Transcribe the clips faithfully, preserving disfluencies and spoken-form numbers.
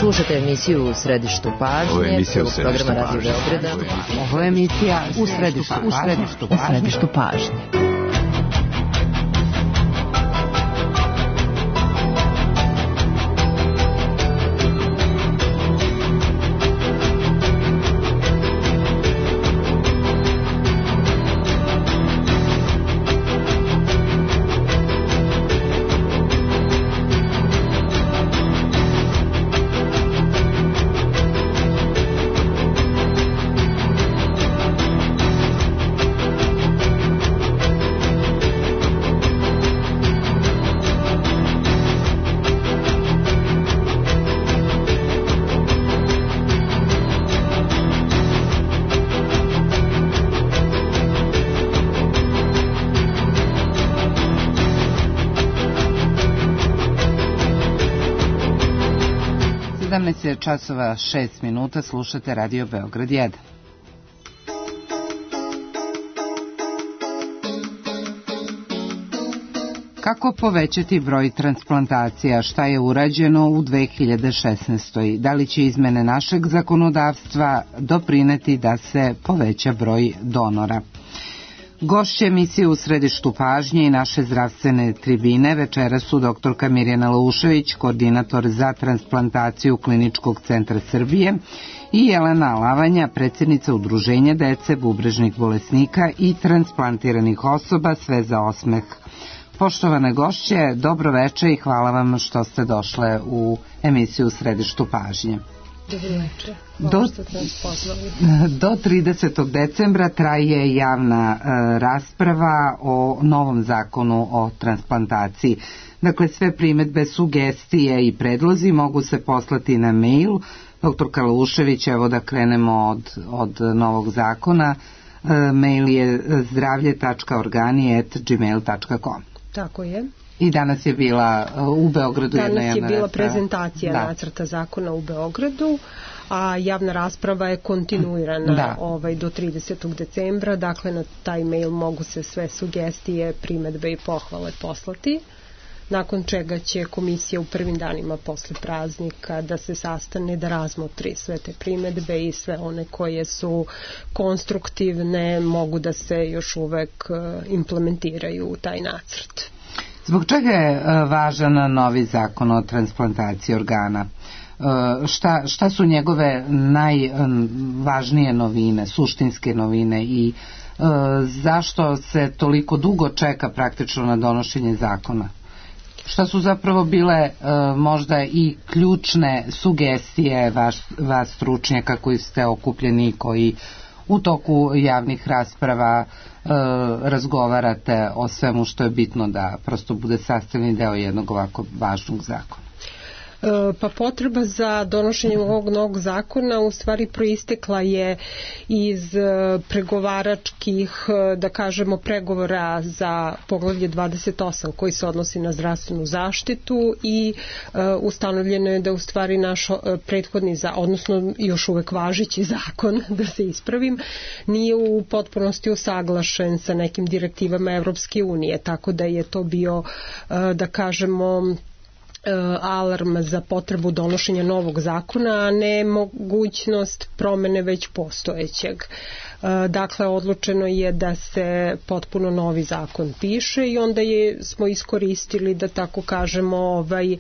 Slušajte emisiju U središtu pažnje, prvog programa Radio Beograda. Ovo je emisija U središtu, u središtu, u središtu pažnje. sedamnaest je časova šest minuta, slušate Radio Beograd jedan. Kako povećati broj transplantacija? Šta je urađeno u dve hiljade šesnaestoj. Da li će izmene našeg zakonodavstva doprineti da se poveća broj donora? Gošće emisije U središtu pažnje i naše zdravstvene tribine večera su doktorka Mirjana Laušević, koordinator za transplantaciju Kliničkog centra Srbije, i Jelena Alavanja, predsjednica Udruženja dece, bubrežnih bolesnika i transplantiranih osoba, sve za osmeh. Poštovane gošće, dobro veče i hvala vam što ste došle u emisiju U središtu pažnje. Do, do tridesetog decembra traje javna e, rasprava o novom zakonu o transplantaciji. Dakle, sve primedbe, sugestije i predlozi mogu se poslati na mail. Doktorka Laušević, evo da krenemo od, od novog zakona. E, mail je zdravlje tačka organi at gmail tačka com. Tako je. I danas je bila u Beogradu danas jedna je bila rasprava. prezentacija da. nacrta zakona u Beogradu, a javna rasprava je kontinuirana da. ovaj, do tridesetog decembra, dakle na taj mail mogu se sve sugestije, primedbe i pohvale poslati, nakon čega će komisija u prvim danima posle praznika da se sastane, da razmotri sve te primedbe i sve one koje su konstruktivne mogu da se još uvek implementiraju u taj nacrt. Zbog čega je važan novi zakon o transplantaciji organa? Šta, šta su njegove najvažnije novine, suštinske novine i zašto se toliko dugo čeka praktično na donošenje zakona? Šta su zapravo bile možda i ključne sugestije vas, vas stručnjaka koji ste okupljeni, koji u toku javnih rasprava e, razgovarate o svemu što je bitno da prosto bude sastavni deo jednog ovako važnog zakona? Pa potreba za donošenjem ovog novog zakona u stvari proistekla je iz pregovaračkih, da kažemo, pregovora za poglavlje dvadeset osam koji se odnosi na zdravstvenu zaštitu i ustanovljeno je da u stvari naš prethodni, odnosno još uvek važeći zakon, da se ispravim, nije u potpunosti usaglašen sa nekim direktivama Evropske unije, tako da je to bio, da kažemo, alarm za potrebu donošenja novog zakona, a ne mogućnost promene već postojećeg. Dakle, odlučeno je da se potpuno novi zakon piše i onda je, smo iskoristili, da tako kažemo, ovaj,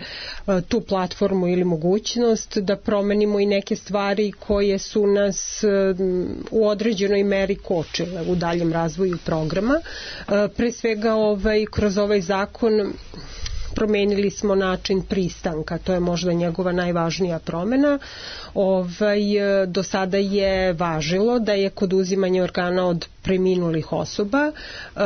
tu platformu ili mogućnost da promenimo i neke stvari koje su nas u određenoj meri kočile u daljem razvoju programa. Pre svega ovaj, kroz ovaj zakon promenili smo način pristanka, to je možda njegova najvažnija promena. Ovaj, do sada je važilo da je kod uzimanja organa od preminulih osoba e,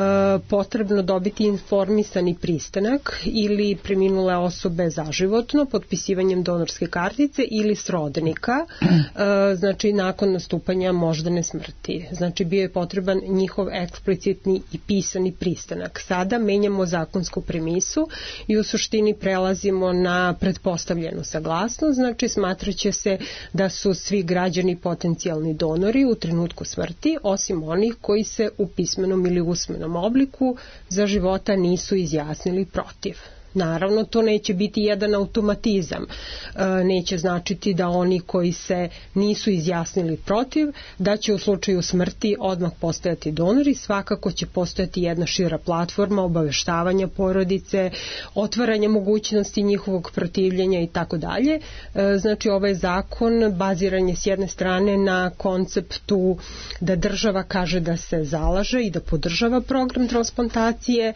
potrebno dobiti informisani pristanak ili preminule osobe zaživotno potpisivanjem donorske kartice ili srodnika, e, znači nakon nastupanja moždane smrti. Znači bio je potreban njihov eksplicitni i pisani pristanak. Sada menjamo zakonsku premisu i u suštini prelazimo na pretpostavljenu saglasnost, znači smatraće se da su svi građani potencijalni donori u trenutku smrti, osim onih koji se u pismenom ili usmenom obliku za života nisu izjasnili protiv. Naravno, to neće biti jedan automatizam. Neće značiti da oni koji se nisu izjasnili protiv, da će u slučaju smrti odmah postojati donori. Svakako će postojati jedna šira platforma obaveštavanja porodice, otvaranja mogućnosti njihovog protivljenja i tako dalje. Znači, ovaj zakon baziran je s jedne strane na konceptu da država kaže da se zalaže i da podržava program transplantacije,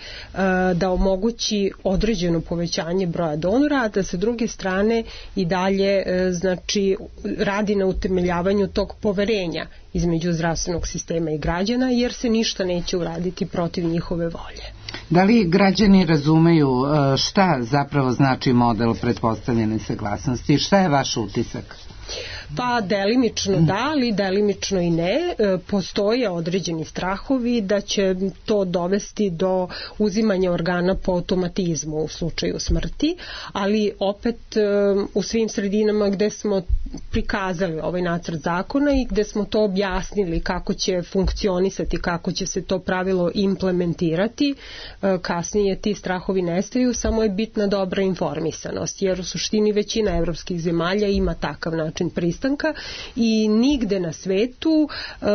da omogući određeno povećanje broja donora, a da sa druge strane i dalje znači radi na utemeljavanju tog poverenja između zdravstvenog sistema i građana, jer se ništa neće uraditi protiv njihove volje. Da li građani razumeju šta zapravo znači model pretpostavljene saglasnosti? Šta je vaš utisak? Pa delimično da, ali delimično i ne. Postoje određeni strahovi da će to dovesti do uzimanja organa po automatizmu u slučaju smrti, ali opet u svim sredinama gde smo prikazali ovaj nacrt zakona i gde smo to objasnili kako će funkcionisati, kako će se to pravilo implementirati, kasnije ti strahovi nestaju, samo je bitna dobra informisanost, jer u suštini većina evropskih zemalja ima takav način pristanka i nigde na svetu e,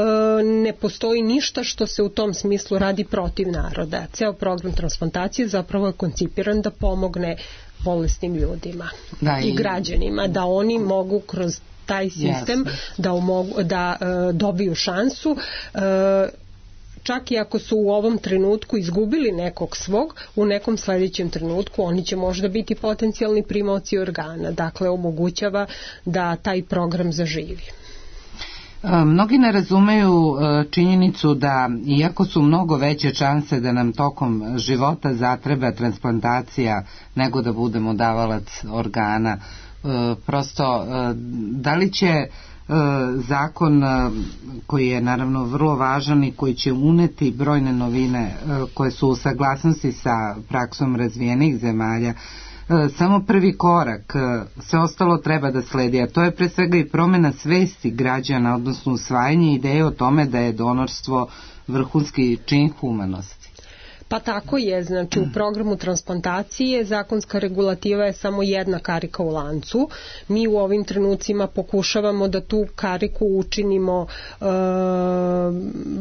ne postoji ništa što se u tom smislu radi protiv naroda. Ceo program transplantacije zapravo je koncipiran da pomogne bolesnim ljudima da, i, i građanima, da oni mogu kroz taj sistem yes. da, umogu, da e, dobiju šansu e, čak i ako su u ovom trenutku izgubili nekog svog, u nekom sledećem trenutku oni će možda biti potencijalni primaoci organa. Dakle, omogućava da taj program zaživi. Mnogi ne razumeju činjenicu da, iako su mnogo veće šanse da nam tokom života zatreba transplantacija nego da budemo davalac organa, prosto da li će zakon koji je naravno vrlo važan i koji će uneti brojne novine koje su u saglasnosti sa praksom razvijenih zemalja, samo prvi korak, sve ostalo treba da sledi, a to je pre svega i promena svesti građana, odnosno usvajanje ideje o tome da je donorstvo vrhunski čin humanosti. Pa tako je, znači u programu transplantacije zakonska regulativa je samo jedna karika u lancu. Mi u ovim trenucima pokušavamo da tu kariku učinimo e,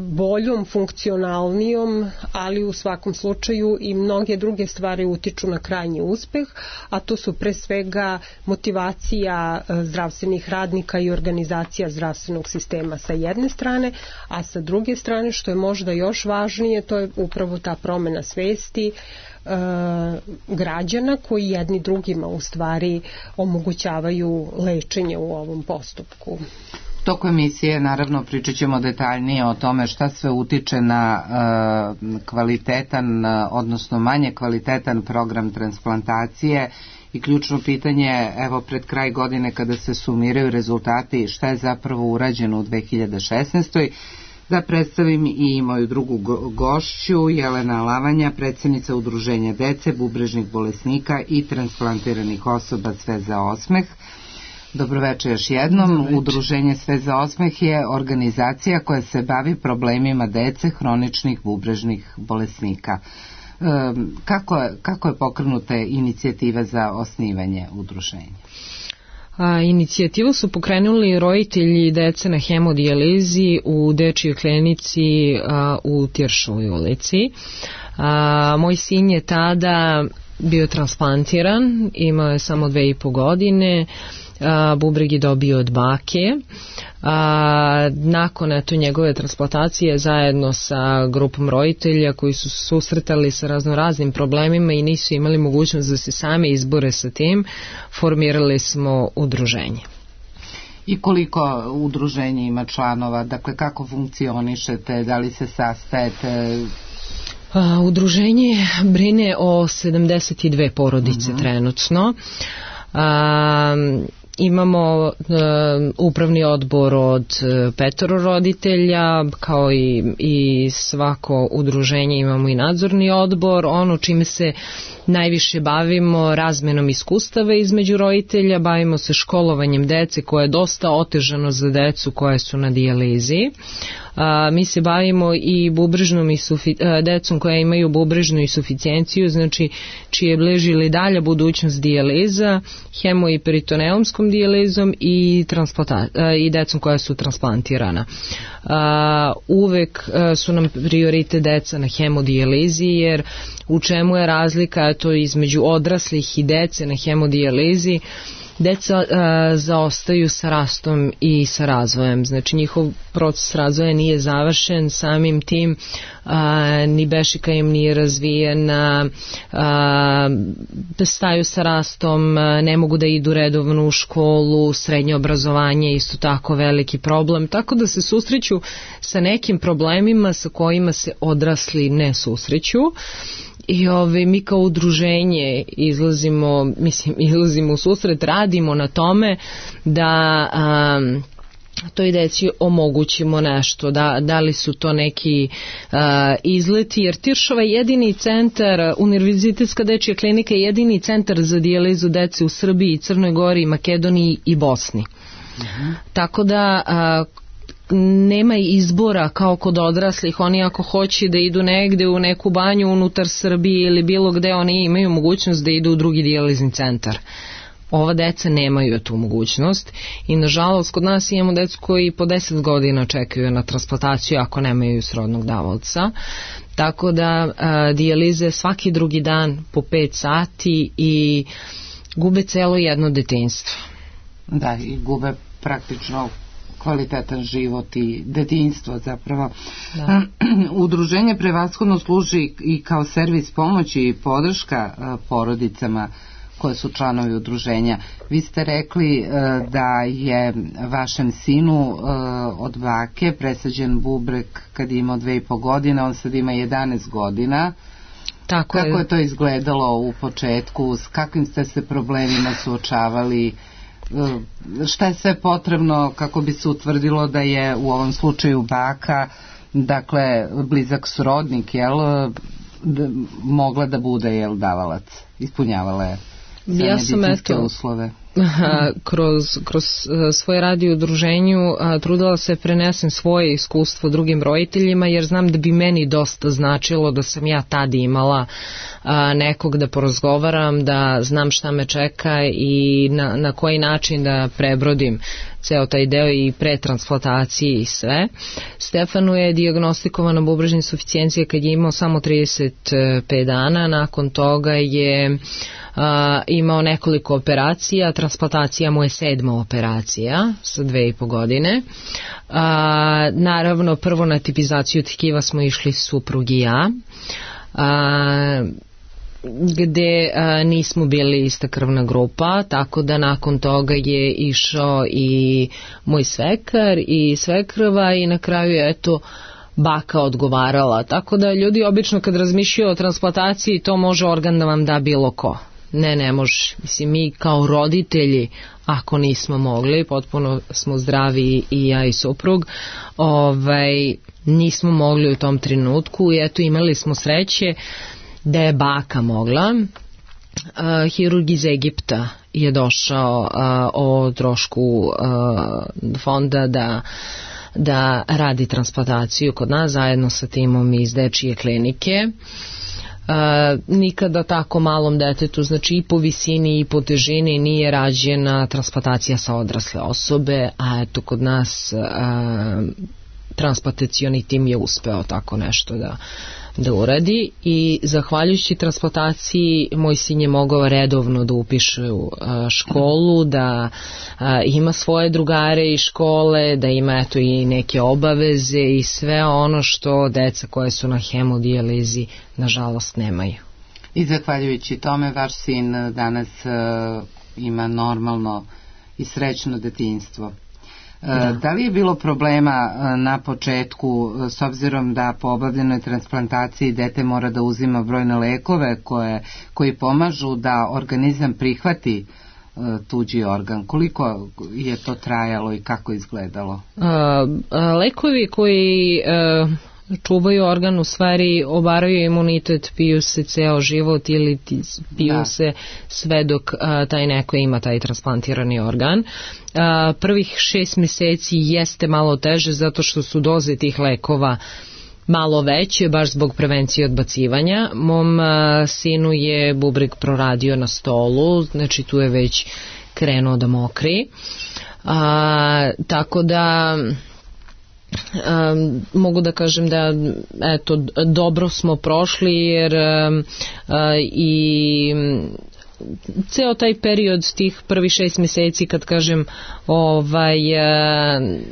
boljom, funkcionalnijom, ali u svakom slučaju i mnoge druge stvari utiču na krajnji uspeh, a to su pre svega motivacija zdravstvenih radnika i organizacija zdravstvenog sistema sa jedne strane, a sa druge strane, što je možda još važnije, to je upravo ta promena na svesti e, građana koji jedni drugima u stvari omogućavaju lečenje u ovom postupku. U toku emisije naravno pričat ćemo detaljnije o tome šta sve utiče na e, kvalitetan, odnosno manje kvalitetan program transplantacije i ključno pitanje, evo pred kraj godine kada se sumiraju rezultati, šta je zapravo urađeno u dve hiljade šesnaestoj. Da predstavim i moju drugu gošću, Jelena Lavanja, predsjednica Udruženja dece, bubrežnih bolesnika i transplantiranih osoba Sve za osmeh. Dobroveče još jednom. Dobroveče. Udruženje Sve za osmeh je organizacija koja se bavi problemima dece hroničnih bubrežnih bolesnika. E, kako, je, kako je pokrenuta inicijativa za osnivanje udruženja? A, inicijativu su pokrenuli roditelji dece na hemodijalizi u dečijoj klinici a, u Tiršovoj ulici. A, moj sin je tada bio transplantiran, imao je samo dve i po godine, a, bubreg je dobio od bake. A, nakon eto njegove transplantacije zajedno sa grupom roditelja koji su susretali sa raznoraznim problemima i nisu imali mogućnost da se sami izbore sa tim, formirali smo udruženje. I koliko udruženje ima članova? Dakle, kako funkcionišete? Da li se sastajete? A, udruženje brine o sedamdeset dve porodice uh-huh. trenutno. A, imamo uh, upravni odbor od uh, petoro roditelja, kao i, i svako udruženje imamo i nadzorni odbor. Ono čime se najviše bavimo razmenom iskustava između roditelja, bavimo se školovanjem dece koje je dosta otežano za decu koje su na dijalizi. A, mi se bavimo i bubrežnom i sufi, a, decom koja imaju bubrežnu insuficijenciju, znači čije bliži ili dalja budućnost dijaliza, hemo i peritoneumskom dijalizom i, a, i decom koja su transplantirana. A, uvek a, su nam prioritet deca na hemodijalizi, jer u čemu je razlika to između odraslih i dece na hemodijalizi? Deca a, zaostaju sa rastom i sa razvojem, znači njihov proces razvoja nije završen, samim tim a, ni bešika im nije razvijena, a, staju sa rastom, a, ne mogu da idu redovno u školu, srednje obrazovanje je isto tako veliki problem, tako da se susreću sa nekim problemima sa kojima se odrasli ne susreću. I ove, mi kao udruženje izlazimo, mislim, izlazimo u susret, radimo na tome da um, toj deci omogućimo nešto, da, da li su to neki uh, izleti, jer Tiršova je jedini centar, Univerzitetska dečija klinika je jedini centar za dijalizu dece u Srbiji, Crnoj Gori, Makedoniji i Bosni. Uh-huh. Tako da uh, nema izbora kao kod odraslih, oni ako hoće da idu negde u neku banju unutar Srbije ili bilo gde, oni imaju mogućnost da idu u drugi dijalizni centar. Ova deca nemaju tu mogućnost i nažalost kod nas imamo decu koji po deset godina čekaju na transplantaciju ako nemaju srodnog davaoca, tako da a, dijalize svaki drugi dan po pet sati i gube celo jedno detinjstvo. Da, i gube praktično kvalitetan život i detinjstvo zapravo. Da. Udruženje prevashodno služi i kao servis pomoći i podrška porodicama koje su članovi udruženja. Vi ste rekli da je vašem sinu od bake presađen bubreg kad je imao dve i po godine, on sad ima jedanaest godina. Tako Kako je. je to izgledalo u početku, s kakvim ste se problemima suočavali? Šta je sve potrebno kako bi se utvrdilo da je u ovom slučaju baka, dakle blizak srodnik, jel, da, mogla da bude, jel, davalac, ispunjavala je sve ja sam medicinske eto, uslove? kroz, kroz svoje radio udruženju trudila se prenesem svoje iskustvo drugim roditeljima, jer znam da bi meni dosta značilo da sam ja tad imala a, nekog da porazgovaram, da znam šta me čeka i na, na koji način da prebrodim ceo taj deo i pre transplantacije i sve. Stefanu je dijagnostikovana bubrežna insuficijencija kad je imao samo trideset pet dana, nakon toga je a, imao nekoliko operacija, transplantacija mu je sedma operacija sa dve i po godine. A, naravno, prvo na tipizaciju tkiva smo išli suprug i ja, a, gde a, nismo bili ista krvna grupa, tako da nakon toga je išao i moj svekar i svekrva i na kraju je eto baka odgovarala, tako da ljudi obično kad razmišljaju o transplantaciji to može organ da vam da bilo ko. Ne, ne može. Mislim, mi kao roditelji, ako nismo mogli, potpuno smo zdravi i ja i suprug, ovaj, nismo mogli u tom trenutku i eto imali smo sreće da je baka mogla. Uh, hirurg iz Egipta je došao uh, o trošku uh, fonda da da radi transplantaciju kod nas zajedno sa timom iz dečije klinike. Uh, nikada tako malom detetu, znači i po visini i po težini nije rađena transplantacija sa odrasle osobe, a eto kod nas uh, transplantacioni tim je uspeo tako nešto da, da uradi i zahvaljujući transplantaciji moj sin je mogao redovno da upiše u uh, školu, da uh, ima svoje drugare iz škole, da ima eto i neke obaveze i sve ono što deca koje su na hemodijalizi nažalost nemaju. I zahvaljujući tome vaš sin danas uh, ima normalno i srećno detinjstvo. Da. Da li je bilo problema na početku s obzirom da po obavljenoj transplantaciji dete mora da uzima brojne lekove koje, koji pomažu da organizam prihvati tuđi organ. Koliko je to trajalo i kako izgledalo? A, a, lekovi koji a, čuvaju organ u stvari obaraju imunitet, piju se ceo život ili piju da. se sve dok a, taj neko ima taj transplantirani organ. A, prvih šest meseci jeste malo teže zato što su doze tih lekova malo veće, baš zbog prevencije odbacivanja. Mom a, sinu je bubreg proradio na stolu, znači tu je već krenuo da mokri. A, tako da Um, mogu da kažem da eto, dobro smo prošli jer um, uh, i ceo taj period tih prvi šest meseci kad kažem ovaj,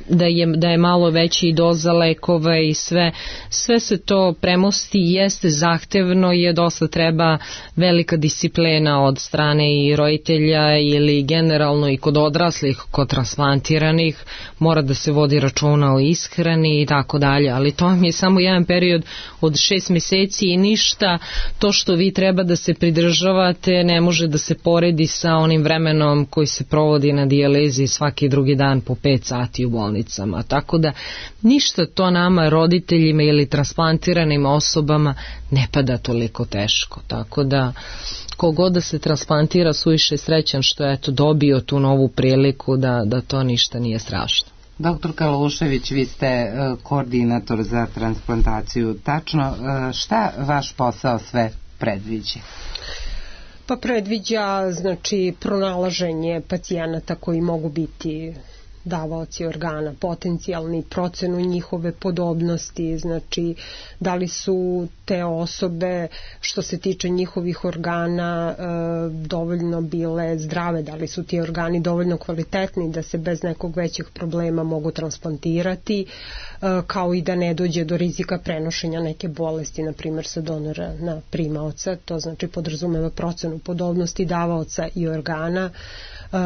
da, je, da je malo veći doza lekova i sve, sve se to premosti, jeste zahtevno, je dosta treba velika disciplina od strane i roditelja ili generalno i kod odraslih, kod transplantiranih, mora da se vodi računa o ishrani i tako dalje, ali to mi je samo jedan period od šest meseci i ništa to što vi treba da se pridržavate ne može da se poredi sa onim vremenom koji se provodi na dijalezi svaki drugi dan po pet sati u bolnicama. Tako da ništa to nama roditeljima ili transplantiranim osobama ne pada toliko teško. Tako da kogod da se transplantira suviše srećan što je eto dobio tu novu priliku da, da to ništa nije strašno. Doktor Kalušević, vi ste koordinator za transplantaciju. Tačno, šta vaš posao sve predviđa? Pa predviđa, znači, pronalaženje pacijenata koji mogu biti davaoci organa, potencijalni, procenu njihove podobnosti, znači da li su te osobe što se tiče njihovih organa e, dovoljno bile zdrave, da li su ti organi dovoljno kvalitetni da se bez nekog većeg problema mogu transplantirati, e, kao i da ne dođe do rizika prenošenja neke bolesti, na primjer sa donora na primaoca, to znači podrazumeva procenu podobnosti davaoca i organa,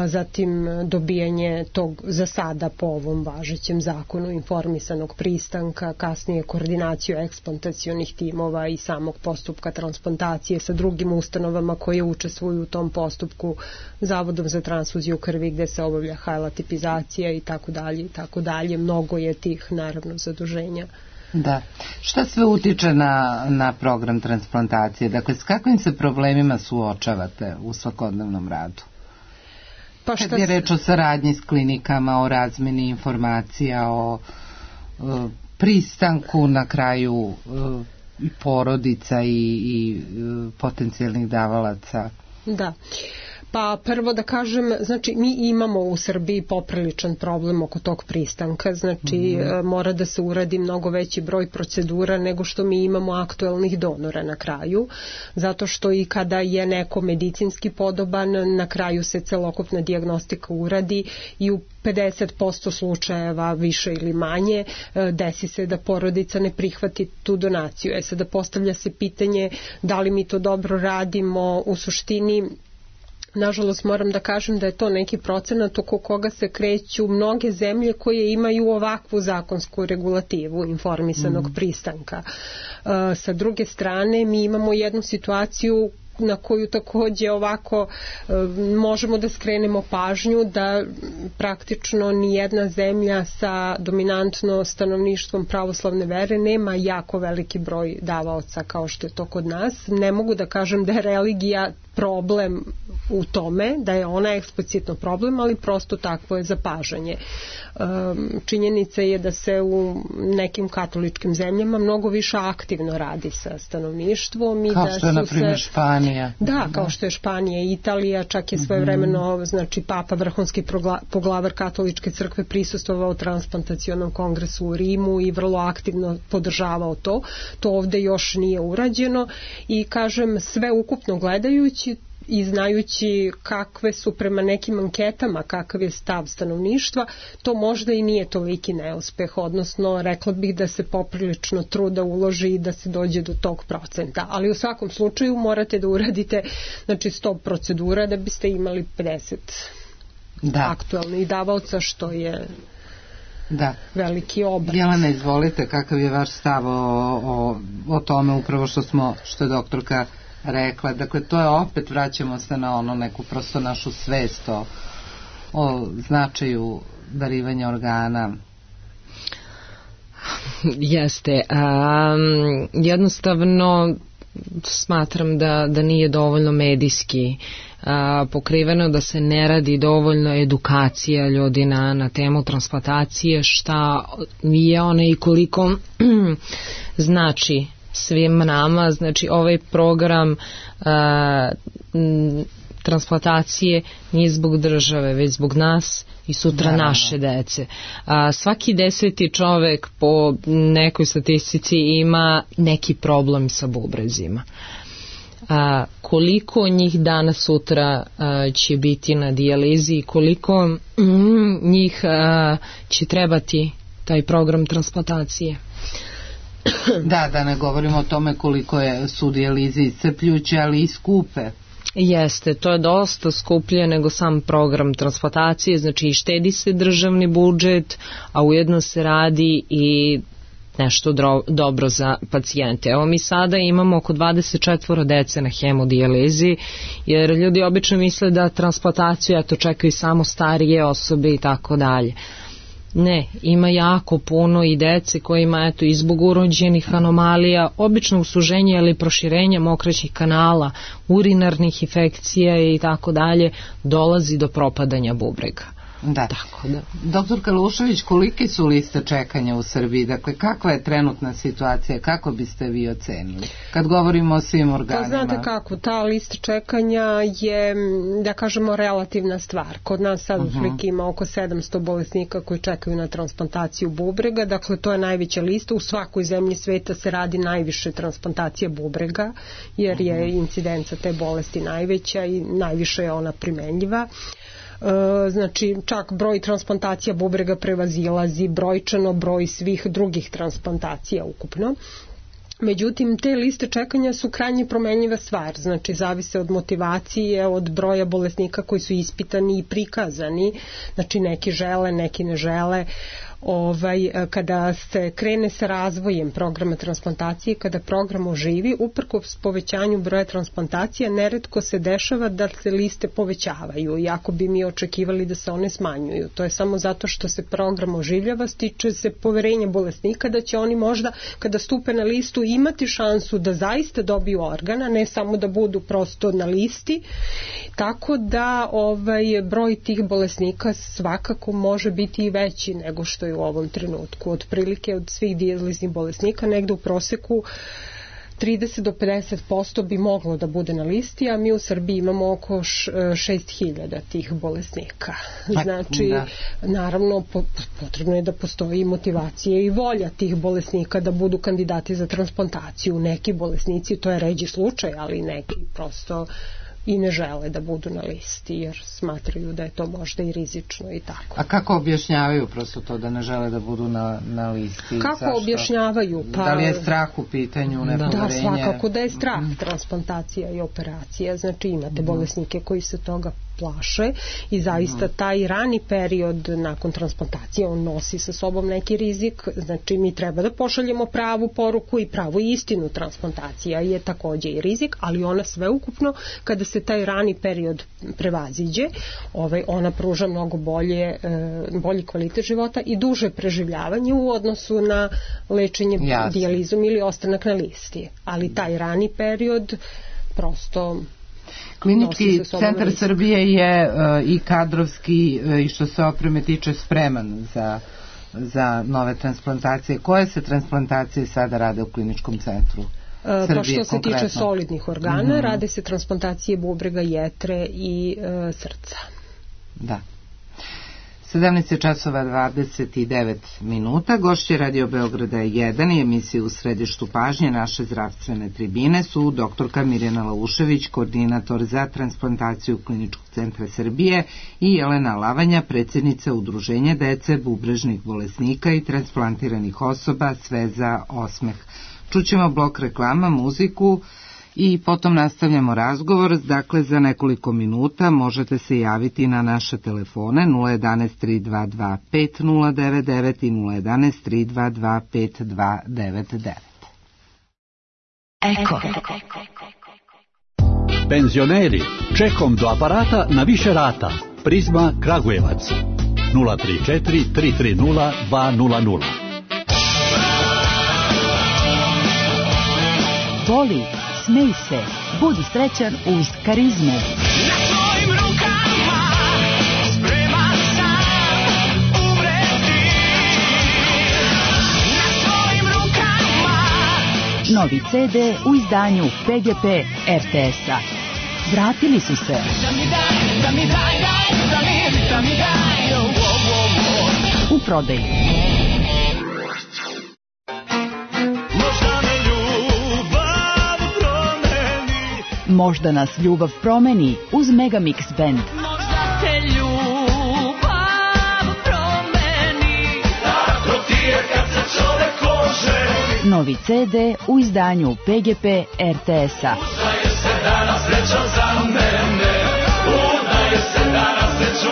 zatim dobijanje tog za sada po ovom važećem zakonu informisanog pristanka, kasnije koordinaciju eksplantacionih timova i samog postupka transplantacije sa drugim ustanovama koje učestvuju u tom postupku, Zavodom za transfuziju krvi gde se obavlja hajlatipizacija i tako dalje i tako dalje. Mnogo je tih naravno zaduženja. Da. Šta sve utiče na, na program transplantacije? Dakle, s kakvim se problemima suočavate u svakodnevnom radu? Pa šta kad je reč o saradnji s klinikama, o razmeni informacija, o, o pristanku na kraju o, porodica i, i o, potencijalnih davalaca? Da. Pa prvo da kažem, znači mi imamo u Srbiji popriličan problem oko tog pristanka, znači mm-hmm. mora da se uradi mnogo veći broj procedura nego što mi imamo aktuelnih donora na kraju, zato što i kada je neko medicinski podoban, na kraju se celokupna dijagnostika uradi i u pedeset posto slučajeva više ili manje desi se da porodica ne prihvati tu donaciju. E sada postavlja se pitanje da li mi to dobro radimo, u suštini nažalost moram da kažem da je to neki procenat oko koga se kreću mnoge zemlje koje imaju ovakvu zakonsku regulativu informisanog mm. pristanka. Uh, sa druge strane mi imamo jednu situaciju na koju takođe ovako e, možemo da skrenemo pažnju da praktično nijedna zemlja sa dominantno stanovništvom pravoslavne vere nema jako veliki broj davaoca kao što je to kod nas. Ne mogu da kažem da je religija problem u tome, da je ona eksplicitno problem, ali prosto takvo je zapažanje. Činjenica je da se u nekim katoličkim zemljama mnogo više aktivno radi sa stanovništvom. I kao da što je, na primjer, se... Španija. Da, kao što je Španija i Italija, čak je svojevremeno, mm-hmm. znači, Papa, vrhunski poglavar katoličke crkve, prisustvovao transplantacionom kongresu u Rimu i vrlo aktivno podržavao to. To ovde još nije urađeno i, kažem, sve ukupno gledajući i znajući kakve su prema nekim anketama, kakav je stav stanovništva, to možda i nije toliki neuspeh, odnosno rekla bih da se poprilično truda uloži i da se dođe do tog procenta, ali u svakom slučaju morate da uradite, znači, sto procedura da biste imali pedeset da. aktualnih davaoca, što je da. veliki obrat. Jelena, izvolite, kakav je vaš stav o, o, o tome upravo što smo, što je doktorka rekla. Dakle, to je opet, vraćamo se na ono neku prosto našu svest o, o značaju darivanja organa. Jeste. Um, jednostavno smatram da, da nije dovoljno medijski a, pokriveno, da se ne radi dovoljno edukacija ljudi na, na temu transplantacije, šta je ona i koliko znači svim nama. Znači ovaj program a, m, transplantacije nije zbog države, već zbog nas i sutra da, naše dece. A, svaki deseti čovek po nekoj statistici ima neki problem sa bubrezima. A, koliko njih danas sutra a, će biti na dijalizi i koliko mm, njih a, će trebati taj program transplantacije. Da, da ne govorimo o tome koliko je, su dijalize iscrpljuće, ali i skupe. Jeste, to je dosta skuplje nego sam program transplantacije, znači štedi se državni budžet, a ujedno se radi i nešto dro, dobro za pacijente. Evo mi sada imamo oko dvadeset četvoro dece na hemodijalizi, jer ljudi obično misle da transplantaciju eto čekaju samo starije osobe i tako dalje. Ne, ima jako puno i dece kojima eto i zbog urođenih anomalija, običnog suženja ili proširenja mokraćih kanala, urinarnih infekcija i tako dalje, dolazi do propadanja bubrega. Da. Tako da. Doktor Kalušević, kolike su liste čekanja u Srbiji? Dakle, kakva je trenutna situacija? Kako biste vi ocenili? Kad govorimo o svim organima. Pa znate kako, ta lista čekanja je, da kažemo, relativna stvar. Kod nas sad u Fliki ima oko sedamsto bolesnika koji čekaju na transplantaciju bubrega. Dakle, to je najveća lista. U svakoj zemlji sveta se radi najviše transplantacija bubrega, jer je incidenca te bolesti najveća i najviše je ona primenljiva. Znači čak broj transplantacija bubrega prevazilazi brojčano broj svih drugih transplantacija ukupno. Međutim, te liste čekanja su krajnje promenljiva stvar, znači zavise od motivacije, od broja bolesnika koji su ispitani i prikazani, znači neki žele, neki ne žele. Ovaj, kada se krene sa razvojem programa transplantacije, kada program oživi, uprkos povećanju broja transplantacija, neretko se dešava da se liste povećavaju, iako bi mi očekivali da se one smanjuju. To je samo zato što se program oživljava, stiče se poverenje bolesnika da će oni možda, kada stupe na listu, imati šansu da zaista dobiju organa, ne samo da budu prosto na listi. Tako da ovaj broj tih bolesnika svakako može biti i veći nego što je u ovom trenutku. Otprilike od svih dijaliznih bolesnika negde u proseku trideset do pedeset posto bi moglo da bude na listi, a mi u Srbiji imamo oko šest hiljada tih bolesnika. Znači, da. Naravno, potrebno je da postoji motivacija i volja tih bolesnika da budu kandidati za transplantaciju. Neki bolesnici, to je ređi slučaj, ali neki prosto i ne žele da budu na listi jer smatraju da je to možda i rizično i tako. A kako objašnjavaju prosto to da ne žele da budu na, na listi? Kako Zašto? objašnjavaju? Pa, da li je strah u pitanju, nepoverenje? Da, svakako da je strah, transplantacija i operacija, znači imate mm. bolesnike koji se toga plaše i zaista taj rani period nakon transplantacije on nosi sa sobom neki rizik, znači mi treba da pošaljemo pravu poruku i pravu istinu. Transplantacija je takođe i rizik, ali ona sveukupno kada se taj rani period prevaziđe, ovaj, ona pruža mnogo bolje, bolji kvalitet života i duže preživljavanje u odnosu na lečenje Jasne. dijalizom ili ostanak na listi, ali taj rani period prosto Klinički centar Srbije je uh, i kadrovski uh, i što se opreme tiče spreman za, za nove transplantacije. Koje se transplantacije sada rade u kliničkom centru Srbije? Pa što se konkretno tiče solidnih organa, mm-hmm. rade se transplantacije bubrega, jetre i uh, srca. Da. sedamnaest časova dvadeset devet minuta. Gošće Radio Beograda jedan i emisije U središtu pažnje naše zdravstvene tribine su doktorka Mirjana Laušević, koordinator za transplantaciju Kliničkog centra Srbije, i Jelena Lavanja, predsjednica Udruženja dece, bubrežnih bolesnika i transplantiranih osoba, sve za osmeh. Čućemo blok reklama, muziku i potom nastavljamo razgovor. Dakle, za nekoliko minuta možete se javiti na naše telefone nula jedanaest tri dva dva pet nula devet devet i nula jedanaest tri dva dva pet dva devet devet. Eko. Penzioneri, čekom do aparata na više rata. Prizma Kragujevac nula tri četiri tri tri nula dva nula nula. Voli, smej se, budi srećan uz Karizmu. Na tvojim rukama spreman sam umreti. Na tvojim rukama. Novi ce de u izdanju pe ge pe er te es-a. Vratili su se. Da mi daj, da mi daj, daj, da mi, da mi daj, oh, oh, oh. U prodaji. Možda nas ljubav promeni uz Megamix Band. Možda te ljubav promeni. Tako ti je kad se čovek oženi. Novi ce de u izdanju pe ge pe er te es-a. Udaje se danas srećan za mene. Udaje se danas srećan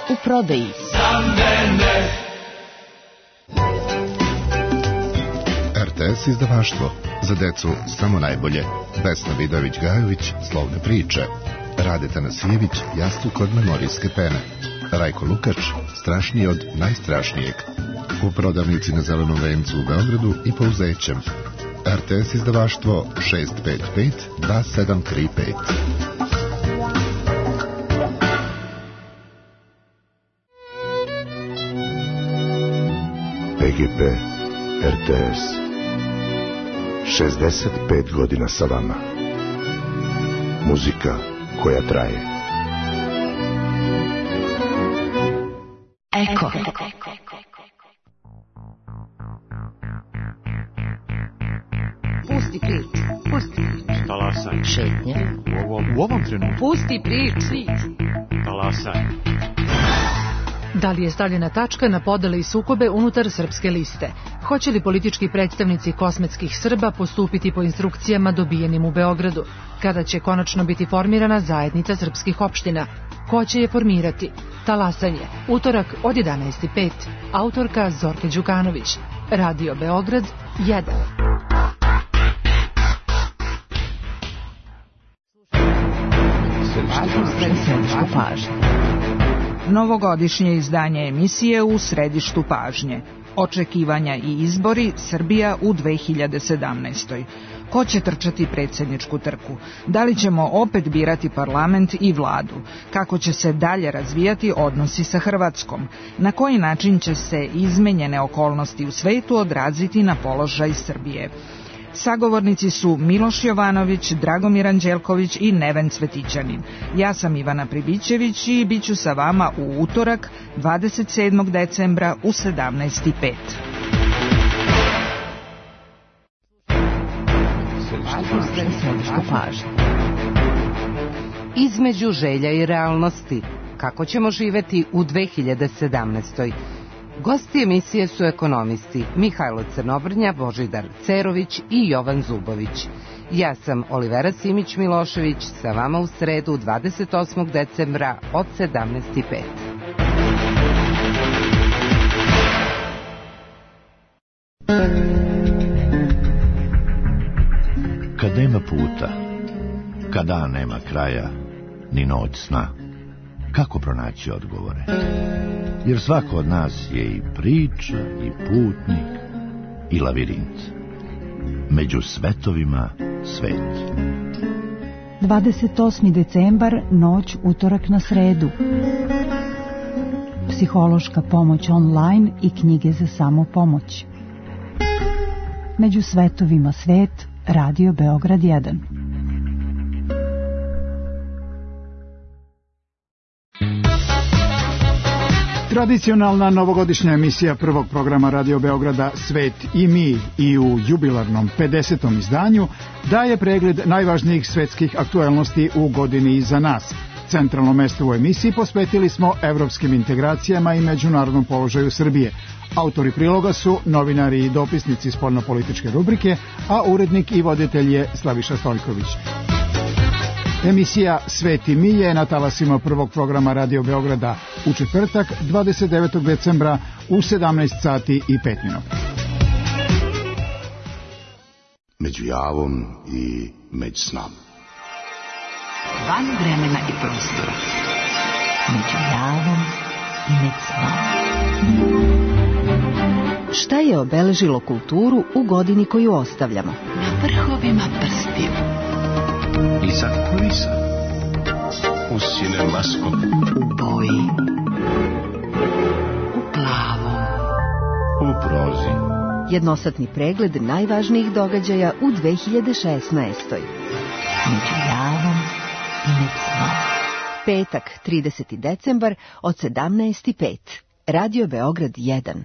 u prodaji. Za mene. er te es izdavaštvo. Za decu samo najbolje. Vesna Vidović-Gajović, Slovne priče. Rade Tanasijević, Jastuk od memorijske pene. Rajko Lukač, Strašniji od najstrašnijeg. U prodavnici na Zelenom vencu u Beogradu i Pouzećem. er te es izdavaštvo šest pet pet dva sedam tri pet. pe ge pe er te es. šezdeset pet godina sa vama. Muzika koja traje. Eko. Pusti priču. Pusti priču. Talasaj. Šetnje. U ovom, u ovom trenutku. Pusti priču. Talasaj. Da li je stavljena tačka na podele i sukobe unutar srpske liste? Hoće li politički predstavnici kosmetskih Srba postupiti po instrukcijama dobijenim u Beogradu? Kada će konačno biti formirana zajednica srpskih opština? Ko će je formirati? Talasanje. Utorak od jedanaest i pet. Autorka Zorka Đukanović. Radio Beograd jedan. Središtu pažnje. Novogodišnje izdanje emisije U središtu pažnje. Očekivanja i izbori Srbija u dve hiljade sedamnaestoj. Ko će trčati predsjedničku trku? Da li ćemo opet birati parlament i vladu? Kako će se dalje razvijati odnosi sa Hrvatskom? Na koji način će se izmenjene okolnosti u svetu odraziti na položaj Srbije? Sagovornici su Miloš Jovanović, Dragomir Anđelković i Neven Cvetićanin. Ja sam Ivana Pribićević i bit ću sa vama u utorak dvadeset sedmog decembra u sedamnaest i pet. Između želja i realnosti. Kako ćemo živeti u dve hiljade sedamnaestoj. Gosti emisije su ekonomisti Mihajlo Crnobrnja, Božidar Cerović i Jovan Zubović. Ja sam Olivera Simić-Milošević, sa vama u sredu dvadeset osmog decembra od sedamnaest i pet. Kad nema puta, kad dan nema kraja, ni noć sna, kako pronaći odgovore? Jer svako od nas je i priča, i putnik, i lavirint. Među svetovima svet. dvadeset osmi decembar, noć utorak na sredu. Psihološka pomoć online i knjige za samopomoć. Među svetovima svet, Radio Beograd jedan. Tradicionalna novogodišnja emisija prvog programa Radio Beograda Svet i mi i u jubilarnom pedesetom izdanju daje pregled najvažnijih svetskih aktuelnosti u godini iza nas. Centralno mesto u emisiji posvetili smo evropskim integracijama i međunarodnom položaju Srbije. Autori priloga su novinari i dopisnici spoljnopolitičke rubrike, a urednik i voditelj je Slaviša Stoljković. Emisija Svet i mi je na talasima prvog programa Radio Beograda u četvrtak dvadeset devetog decembra u sedamnaest sati i pet minuta. među javom i među snom. Van vremena i prostora, među javom i među snom. Šta je obeležilo kulturu u godini koju ostavljamo? Na vrhovima prstiju. Iza kulisa. U cinemaskop. U boji. U plavom. U prozi. Jednosatni pregled najvažnijih događaja u dve hiljade šesnaestoj. Među javom i među snom. Petak, trideseti decembar od sedamnaest i pet. Radio Beograd jedan.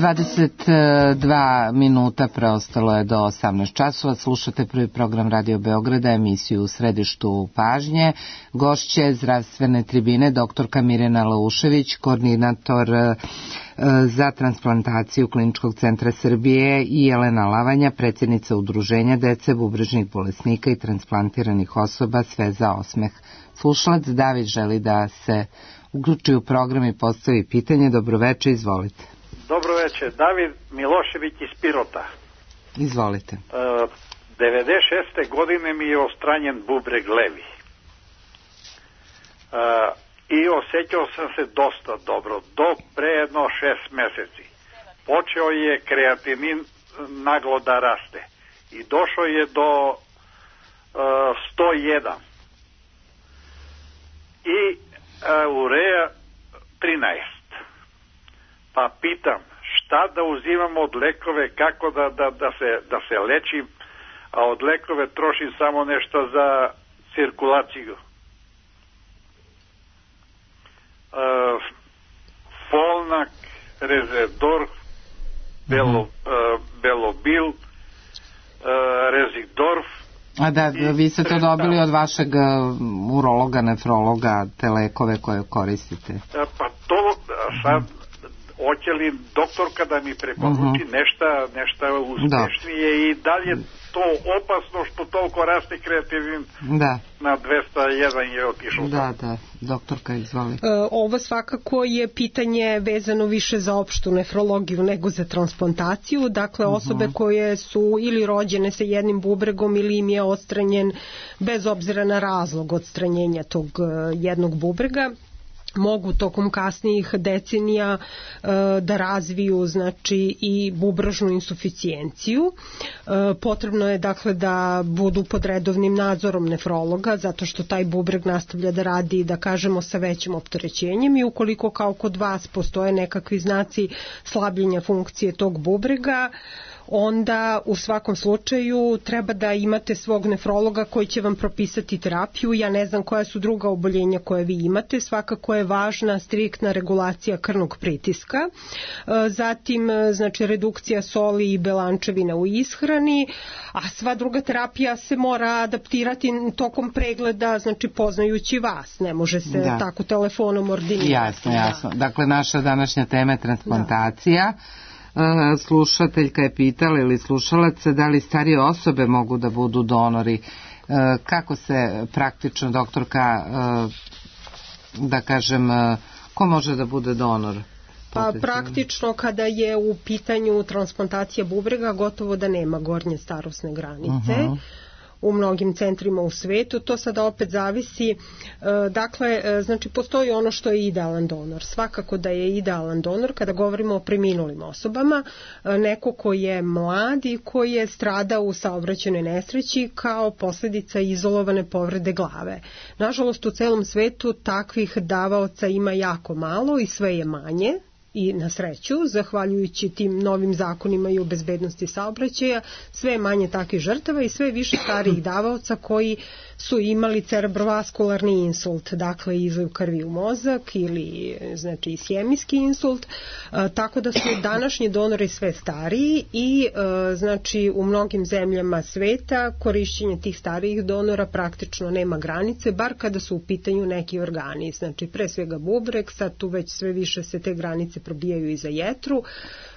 dvadeset dva minuta preostalo je do osamnaest časova. Slušate prvi program Radio Beograda, emisiju U središtu pažnje. Gošće zdravstvene tribine doktorka Mirjana Laušević, koordinator za transplantaciju Kliničkog centra Srbije, i Jelena Lavanja, predsjednica Udruženja dece, bubrežnih bolesnika i transplantiranih osoba, Sve za osmeh. Slušalac David želi da se uključi u program i postavi pitanje. Dobroveče, izvolite. Dobro večer, David Milošević iz Pirota. Izvolite. Uh, devedeset šeste godine mi je ostranjen bubreg levi. Uh, I osjećao sam se dosta dobro, do pre jedno šest meseci. Počeo je kreatinin naglo da raste i došao je do uh, sto jedan. I uh, ureja trinaest. Pa pitam, šta da uzimam od lekove, kako da, da, da, se, da se lečim, a od lekove trošim samo nešto za cirkulaciju. Uh, Folnak, Rezedorf, Belo, uh, Belobil, uh, Rezidorf. A da, vi ste to dobili od vašeg urologa, nefrologa, te lekove koje koristite? Uh, pa to sad, hoće li doktorka da mi preporuči uh-huh. nešto, nešto uspešnije i dalje to opasno što toliko raste kreativin da. Na dvesta jedan je otišao. Da, da, doktorka izvoli. E, ovo svakako je pitanje vezano više za opštu nefrologiju nego za transplantaciju, dakle osobe uh-huh. koje su ili rođene sa jednim bubregom ili im je odstranjen bez obzira na razlog odstranjenja tog jednog bubrega, mogu tokom kasnijih decenija e, da razviju znači i bubrežnu insuficijenciju. E, potrebno je dakle da budu pod redovnim nadzorom nefrologa zato što taj bubreg nastavlja da radi, da kažemo, sa većim opterećenjem i ukoliko kao kod vas postoje nekakvi znaci slabljenja funkcije tog bubrega, onda u svakom slučaju treba da imate svog nefrologa koji će vam propisati terapiju. Ja ne znam koja su druga oboljenja koje vi imate, svakako je važna striktna regulacija krvnog pritiska, zatim znači redukcija soli i belančevina u ishrani, a sva druga terapija se mora adaptirati tokom pregleda, znači poznajući vas, ne može se da. Tako telefonom ordinirati. Jasno, jasno. Da. Dakle, naša današnja tema je transplantacija. Da. Slušateljka je pitala ili slušalac da li starije osobe mogu da budu donori. Kako se praktično, doktorka, da kažem, ko može da bude donor? Pa praktično kada je u pitanju transplantacija bubrega gotovo da nema gornje starosne granice. Uh-huh. U mnogim centrima u svetu, to sada opet zavisi, dakle, znači postoji ono što je idealan donor. Svakako da je idealan donor kada govorimo o preminulim osobama, neko ko je mlad i koji je stradao u saobraćajnoj nesreći kao posljedica izolovane povrede glave. Nažalost, u celom svetu takvih davaoca ima jako malo i sve je manje. I na sreću, zahvaljujući tim novim zakonima i o bezbednosti saobraćaja, sve je manje takvih žrtava i sve više starijih davaoca koji su imali cerebrovaskularni insult, dakle izliv krvi u mozak ili znači ishemijski insult, e, tako da su današnji donori sve stariji i e, znači u mnogim zemljama sveta korišćenje tih starijih donora praktično nema granice, bar kada su u pitanju neki organi, znači pre svega bubreg, sad tu već sve više se te granice probijaju i za jetru.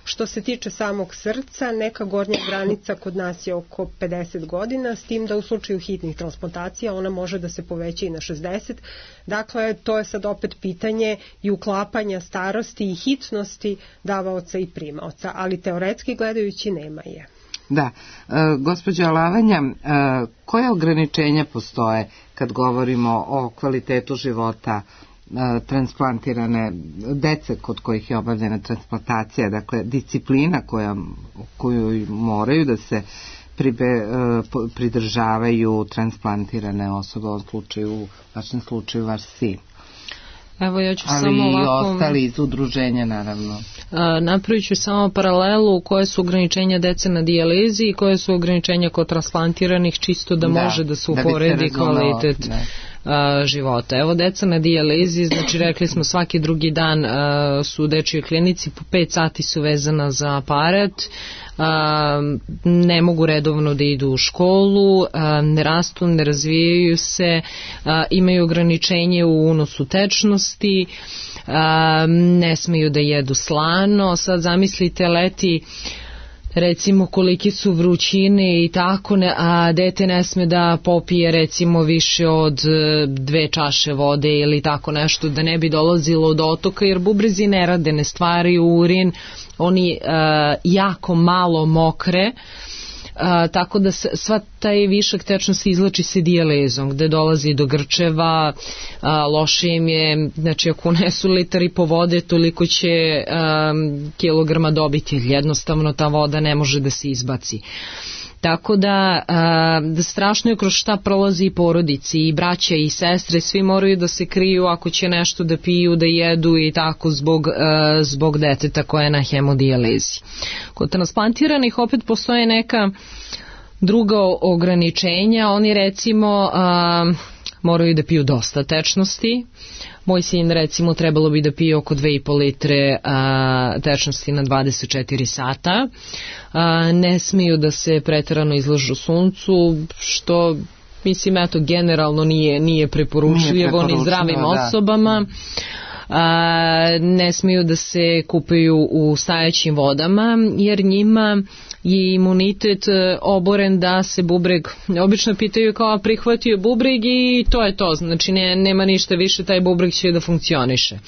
Što se tiče samog srca, neka gornja granica kod nas je oko pedeset godina, s tim da u slučaju hitnih transplantacija ona može da se poveća i na šezdeset. Dakle, to je sad opet pitanje i uklapanja starosti i hitnosti davaoca i primaoca, ali teoretski gledajući nema je. Da, e, gospođo Alavanja, e, koje ograničenja postoje kad govorimo o kvalitetu života transplantirane dece kod kojih je obavljena transplantacija, dakle disciplina koja, koju moraju da se pribe, pridržavaju transplantirane osobe, u ovom slučaju, u vašem slučaju vaš sin. Evo ja ću ali samo ovako, i ostali iz udruženja naravno. Napravit ću samo paralelu koje su ograničenja dece na dijalizi i koje su ograničenja kod transplantiranih, čisto da, da može da se uporedi kvalitet da. života. Evo deca na dijalizi, znači rekli smo svaki drugi dan a, su u dečjoj klinici, po pet sati su vezana za aparat, a, ne mogu redovno da idu u školu, a, ne rastu, ne razvijaju se, a, imaju ograničenje u unosu tečnosti, a, ne smeju da jedu slano. Sad zamislite leti recimo koliki su vrućine i tako, ne, a dete ne sme da popije recimo više od dve čaše vode ili tako nešto, da ne bi dolazilo do otoka, jer bubrezi ne rade, ne stvaraju urin, oni uh, jako malo mokre, uh, tako da sva taj višak tečnosti izlači se dijalezom, gde dolazi do grčeva, uh, loše im je, znači ako unesu litar i po vode, toliko će um, kilograma dobiti, jednostavno ta voda ne može da se izbaci. Tako da, a, da strašno je kroz šta prolazi i porodici, i braća i sestre, svi moraju da se kriju ako će nešto da piju, da jedu i tako zbog, a, zbog deteta koje je na hemodijalizi. Kod transplantiranih opet postoje neka druga ograničenja, oni recimo a, moraju da piju dosta tečnosti. Moj sin recimo trebalo bi da pije oko dve i po litre a, tečnosti na dvadeset četiri sata. A, ne smiju da se preterano izlažu suncu, što mislim eto generalno nije, nije preporučljivo ni zdravim da. osobama. A, ne smiju da se kupaju u stajaćim vodama, jer njima je imunitet oboren da se bubreg, obično pitaju kao prihvatio bubreg i to je to, znači ne, nema ništa više, taj bubreg će da funkcioniše.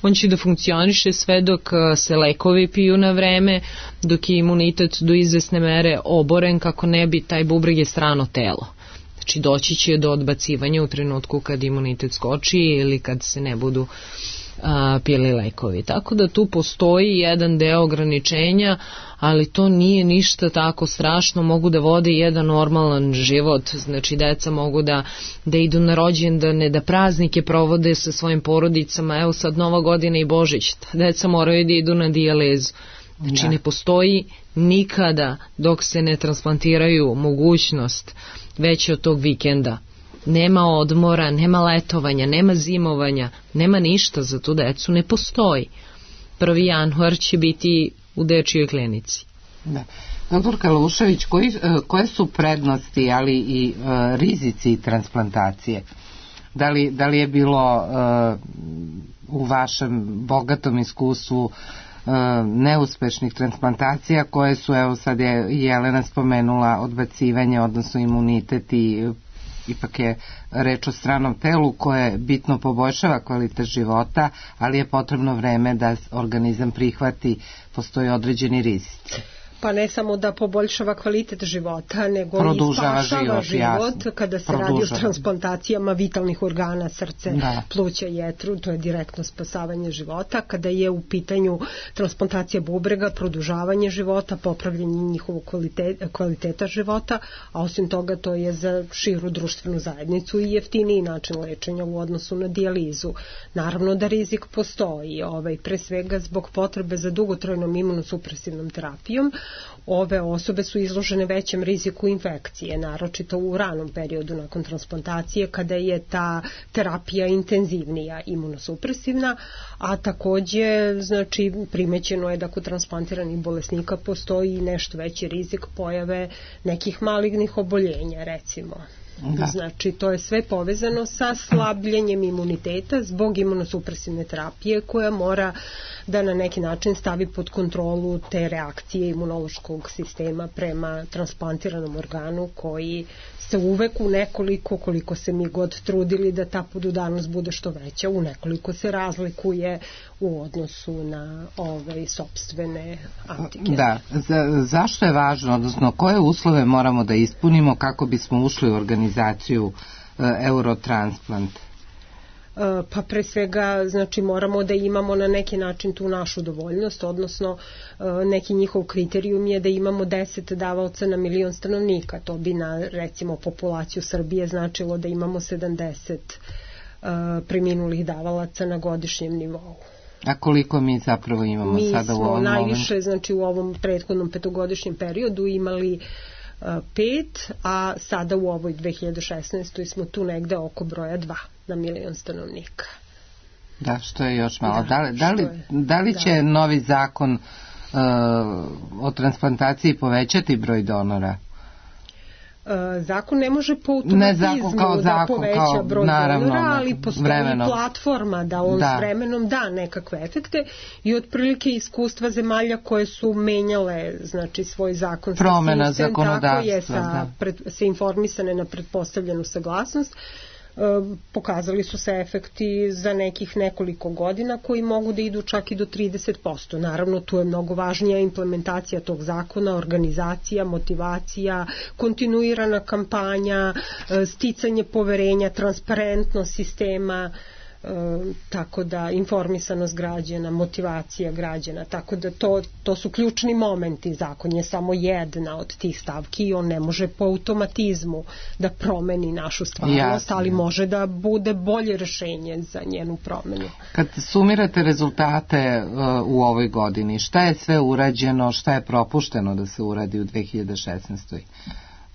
On će da funkcioniše sve dok se lekovi piju na vreme, dok je imunitet do izvesne mere oboren, kako ne bi, taj bubreg je strano telo. Znači doći će do odbacivanja u trenutku kad imunitet skoči ili kad se ne budu a, pili lekovi. Tako da tu postoji jedan deo ograničenja, ali to nije ništa tako strašno, mogu da vode jedan normalan život, znači deca mogu da, da idu na rođendane, da praznike provode sa svojim porodicama, evo sad Nova godina i Božić, deca moraju da idu na dijalizu. Znači da. Ne postoji nikada dok se ne transplantiraju mogućnost veće od tog vikenda. Nema odmora, nema letovanja, nema zimovanja, nema ništa za tu decu, ne postoji. prvi januar će biti u dečijoj klinici. Da. Doktor Kalušević, koji, koje su prednosti, ali i uh, rizici transplantacije? Da li, da li je bilo uh, u vašem bogatom iskustvu uh, neuspešnih transplantacija koje su, evo sad je Jelena spomenula, odbacivanje, odnosno imunitet i ipak je reč o stranom telu koje bitno poboljšava kvalitet života, ali je potrebno vreme da organizam prihvati, postoji određeni rizici. Pa ne samo da poboljšava kvalitet života, nego produžava i spašava život, život kada se produžava. Radi o transplantacijama vitalnih organa, srce, da. pluća, jetru, to je direktno spasavanje života. Kada je u pitanju transplantacija bubrega, produžavanje života, popravljanje njihovog kvaliteta, kvaliteta života, a osim toga to je za širu društvenu zajednicu i jeftiniji način lečenja u odnosu na dijalizu. Naravno da rizik postoji, ovaj, pre svega zbog potrebe za dugotrajnom imunosupresivnom terapijom. Ove osobe su izložene većem riziku infekcije, naročito u ranom periodu nakon transplantacije kada je ta terapija intenzivnija, imunosupresivna, a takođe znači, primećeno je da kod transplantiranih bolesnika postoji nešto veći rizik pojave nekih malignih oboljenja, recimo. Da. Znači, to je sve povezano sa slabljenjem imuniteta zbog imunosupresivne terapije koja mora da na neki način stavi pod kontrolu te reakcije imunološkog sistema prema transplantiranom organu koji se uvek u nekoliko, koliko se mi god trudili da ta podudarnost bude što veća, u nekoliko se razlikuje u odnosu na ove sopstvene antigene. Da, za, zašto je važno, odnosno koje uslove moramo da ispunimo kako bismo ušli u organizaciju uh, Eurotransplant? Pa pre svega znači moramo da imamo na neki način tu našu dovoljnost, odnosno neki njihov kriterijum je da imamo deset davaoca na milion stanovnika, to bi na recimo populaciju Srbije značilo da imamo sedamdeset preminulih davalaca na godišnjem nivou. A koliko mi zapravo imamo mi sada u ovom momentu? Mi smo najviše, znači u ovom prethodnom petogodišnjem periodu imali pet, a sada u ovoj dve hiljade šesnaestoj smo tu negde oko broja dva na milion stanovnika. Da, što je još malo. Da, da, li, da, li, je, da li će da. novi zakon uh, o transplantaciji povećati broj donora? Zakon ne može po automatizmu da zakon, poveća kao, broj naravno, donora, ali postoji vremenom. platforma da on da. s vremenom da nekakve efekte i otprilike iskustva zemalja koje su menjale znači svoj zakon promena sistem, zakonodavstva tako je sa, da. pred, se informisane na pretpostavljenu saglasnost. Pokazali su se efekti za nekih nekoliko godina koji mogu da idu čak i do trideset posto. Naravno, tu je mnogo važnija implementacija tog zakona, organizacija, motivacija, kontinuirana kampanja, sticanje poverenja, transparentnost sistema, tako da informisanost građana, motivacija građana, tako da to, to su ključni momenti. Zakon je samo jedna od tih stavki i on ne može po automatizmu da promeni našu stvarnost, ali može da bude bolje rešenje za njenu promenu. Kad sumirate rezultate u ovoj godini, šta je sve urađeno, šta je propušteno da se uradi u dve hiljade šesnaestoj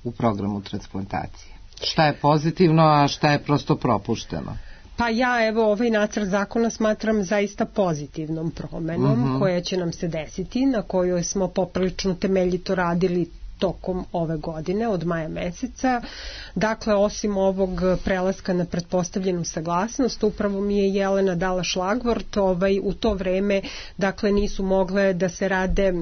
u programu transplantacije? Šta je pozitivno, a šta je prosto propušteno? Pa ja evo ovaj nacrt zakona smatram zaista pozitivnom promenom uh-huh. koja će nam se desiti, na kojoj smo poprilično temeljito radili tokom ove godine, od maja meseca. Dakle, osim ovog prelaska na pretpostavljenu saglasnost, upravo mi je Jelena dala šlagvort, ovaj, u to vreme, dakle, nisu mogle da se rade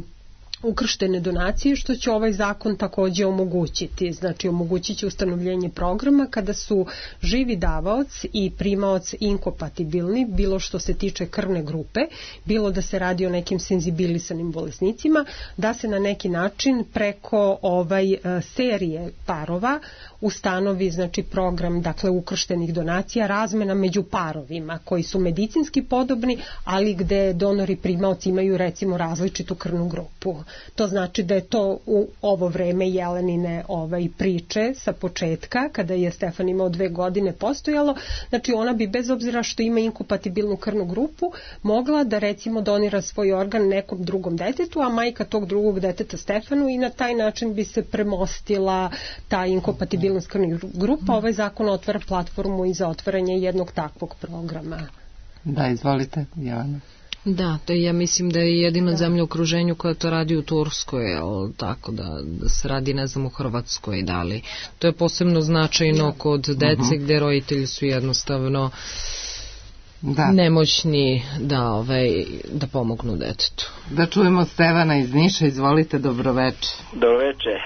ukrštene donacije, što će ovaj zakon takođe omogućiti. Znači, omogućit će ustanovljenje programa kada su živi davaoc i primaoc inkompatibilni, bilo što se tiče krvne grupe, bilo da se radi o nekim senzibilisanim bolesnicima, da se na neki način preko ovaj serije parova ustanovi, znači, program, dakle, ukrštenih donacija, razmena među parovima koji su medicinski podobni, ali gde donori i primaoci imaju, recimo, različitu krvnu grupu. To znači da je to u ovo vreme Jelenine ovaj, priče sa početka, kada je Stefan imao dve godine postojalo, znači ona bi bez obzira što ima inkompatibilnu krvnu grupu, mogla da recimo donira svoj organ nekom drugom detetu, a majka tog drugog deteta Stefanu, i na taj način bi se premostila ta inkompatibilnost krvnih grupa. Ovaj zakon otvara platformu i za otvaranje jednog takvog programa. Da, izvolite, Jelena. Da, to ja mislim da je jedina da. zemlja u okruženju koja to radi u Turskoj, ali tako da, da se radi, ne znam, u Hrvatskoj, da li. To je posebno značajno da. kod dece uh-huh. gde roditelji su jednostavno da. nemoćni da, ovaj, da pomognu detetu. Da čujemo Stevana iz Niša, izvolite, dobroveče. Dobroveče.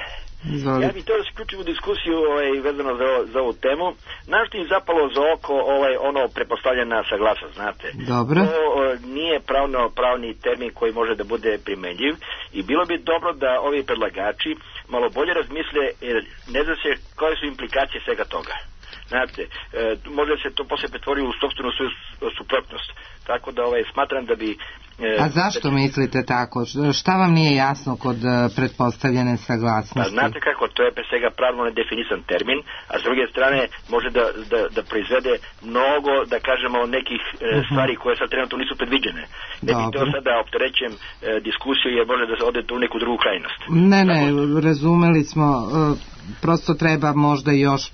Izvolite. Ja bih to da se uključim u diskusiju ovaj, vezano za, za ovu temu. Našto im zapalo za oko ovaj, ono prepostavljena saglasnost, znate. Dobro. To o, nije pravno, pravni termin koji može da bude primenljiv i bilo bi dobro da ovi predlagači malo bolje razmisle, jer ne zna se koje su implikacije svega toga. Znate, e, može se to posle pretvori u sopstvenu svoju suprotnost. Tako da ovaj, smatram da bi... E, A zašto da... mislite tako? Šta vam nije jasno kod pretpostavljene saglasnosti? Pa znate kako, to je pre svega pravno nedefinisan termin, a s druge strane može da, da, da proizvede mnogo, da kažemo, nekih e, uh-huh. stvari koje sad trenutno nisu predviđene. Ne bih to sad da opterećem e, diskusiju, jer može da se ode u neku drugu krajnost. Ne, ne, tako... razumeli smo, e, prosto treba možda još e,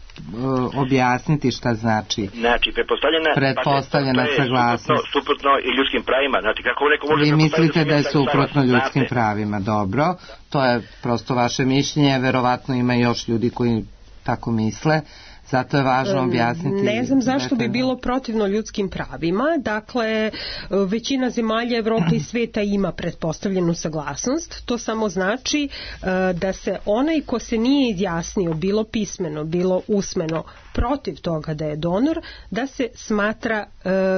objasniti šta znači. Znači, pretpostavljena, pretpostavljena pa, saglasnost. Suprotno, suprotno i ljudskim pravima. Znači, kako neko može... Vi mislite da je suprotno ljudskim znate. pravima, dobro. To je prosto vaše mišljenje, verovatno ima još ljudi koji tako misle. Zato je važno objasniti. Ne znam zašto bi bilo protivno ljudskim pravima. Dakle, većina zemalja Evrope i sveta ima pretpostavljenu saglasnost. To samo znači da se onaj ko se nije izjasnio, bilo pismeno, bilo usmeno, protiv toga da je donor, da se smatra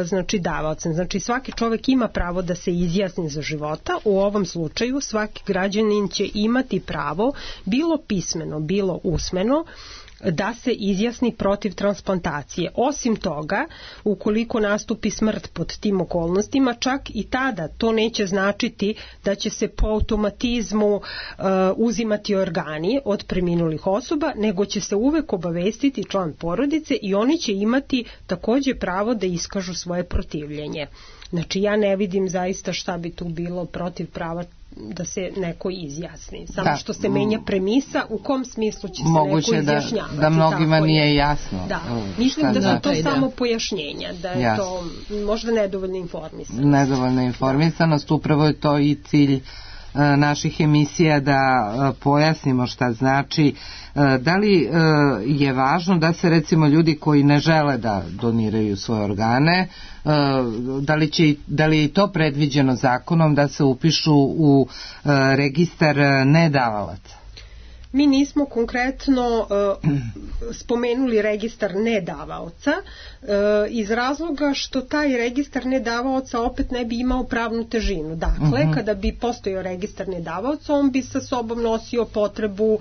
znači davaocem. Znači svaki čovjek ima pravo da se izjasni za života. U ovom slučaju svaki građanin će imati pravo, bilo pismeno, bilo usmeno, da se izjasni protiv transplantacije. Osim toga, ukoliko nastupi smrt pod tim okolnostima, čak i tada to neće značiti da će se po automatizmu uh, uzimati organi od preminulih osoba, nego će se uvek obavestiti član porodice i oni će imati takođe pravo da iskažu svoje protivljenje. Znači ja ne vidim zaista šta bi tu bilo protiv prava da se neko izjasni. Samo da. što se menja premisa u kom smislu će se moguće neko izjašnjavati. Da, da mnogima nije jasno. Da. Mislim da su to da. samo pojašnjenja, da je Jasno. to možda nedovoljna informisanost. Nedovoljna informisanost, upravo je to i cilj naših emisija da pojasnimo šta znači. Da li je važno da se recimo ljudi koji ne žele da doniraju svoje organe, da li, će, da li je to predviđeno zakonom da se upišu u registar nedavalaca? Mi nismo konkretno uh, spomenuli registar nedavaoca uh, iz razloga što taj registar nedavaoca opet ne bi imao pravnu težinu. Dakle, uh-huh. kada bi postojao registar nedavaoca, on bi sa sobom nosio potrebu uh,